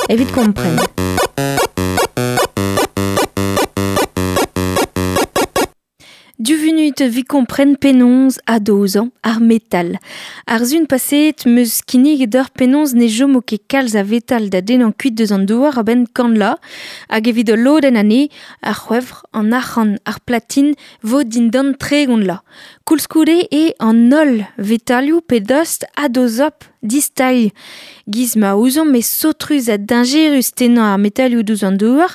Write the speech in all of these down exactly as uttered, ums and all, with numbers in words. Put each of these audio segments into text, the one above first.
Evit kompren. Du vunut vi kompren penaos adozañ ar metal. Ar zun paseet meus kinniget d'ur penaos ne jomo ket kalz a vetal da dennañ kuit deus an douar a-benn kant la, hag evit ul lodenn anezhe, ar c'hwevr, an arc'hant, ar platin vo dindan tregont la. Koulskoude eo an holl vetalioù pe dost adozop distailh. Giz ma ouzomp e saotrus ha dañjerus tennañ ar metalioù diouzh an douar,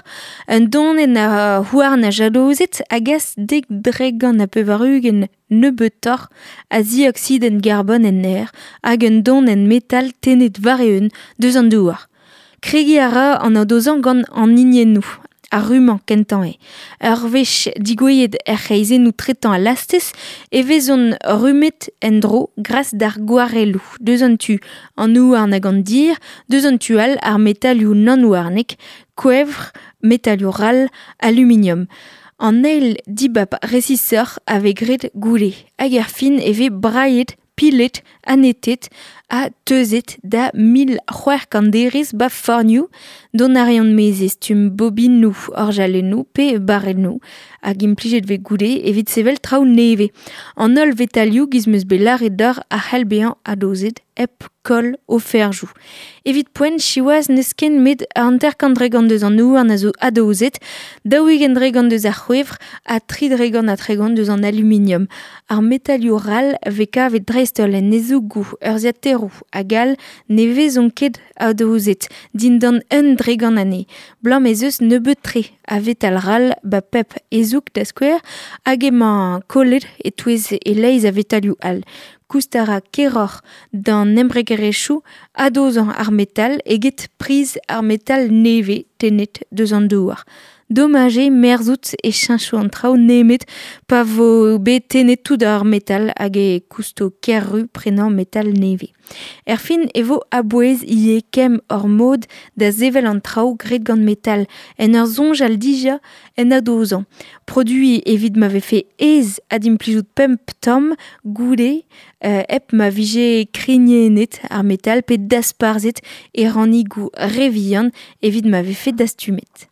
un donenn a houarn a jalozet a gas dek dregant ha pevar-ugent nebeutoc'h a zioksidenn garbon en aer hag un donenn metal tennet war-eeun deus an douar. Kregiñ a ra an adozañ gant an hiniennoù, ar rummañ kentañ eo. Ur wech digouezhet er c'hreizennoù tretañ al lastez e vezont rummet en-dro gras d'ar gwarelloù. Deus an tu an houarn hag an dir, deus an tu all ar metalioù nann-houarnek, kouevr, metalioù ral, aluminium. An eil dibab resisoc'h a vez graet goude. Hag er fin e vez brailhet, pilet, anetet ha teuzet da mil c'hwec'h kant derez ba fornioù dont a reont maez e stumm bobinoù, orjalennoù pe barrennoù hag implijet vez goude evit sevel traoù nevez. An holl vetalioù giz meus bet lâret deoc'h a c'hell bezañ adozet hep koll o ferzhioù. Evit poent siwazh n'eus ken met hanter-kant dregont deus an houarn a zo adozet, daou-ugent dregont deus ar c'hwevr ha tri dregont ha tregont deus an aluminium. Ar metalioù ral vez kavet dreist-holl en ezougoù, urzhiataeroù hag all ne vezont ket adozet dindan un dregont anezhe. Blam ez eus nebeut-tre a vetal ral ba pep ezoug da skouer hag emañ kollet e-touez e-leizh a vetalioù all. Koust a ra keroc'h d'an embregerezhioù adozañ ar metal eget priz ar metal nevez tennet deus an douar. Domaj eo merzout e cheñcho an traoù nemet pa vo bet tennet tout ar metal hag e kousto ker-ru prenañ metal nevez. Erfin e vo a-bouez ivez kemm hor mod da sevel an traoù graet gant metal en ur soñjal dija en adozañ. Produiñ evit ma vefe aes adimplijout pemp tamm goude euh, hep ma vije krignennet ar metal pe dasparzhet e rannigoù re vihan evit ma vefe dastumet.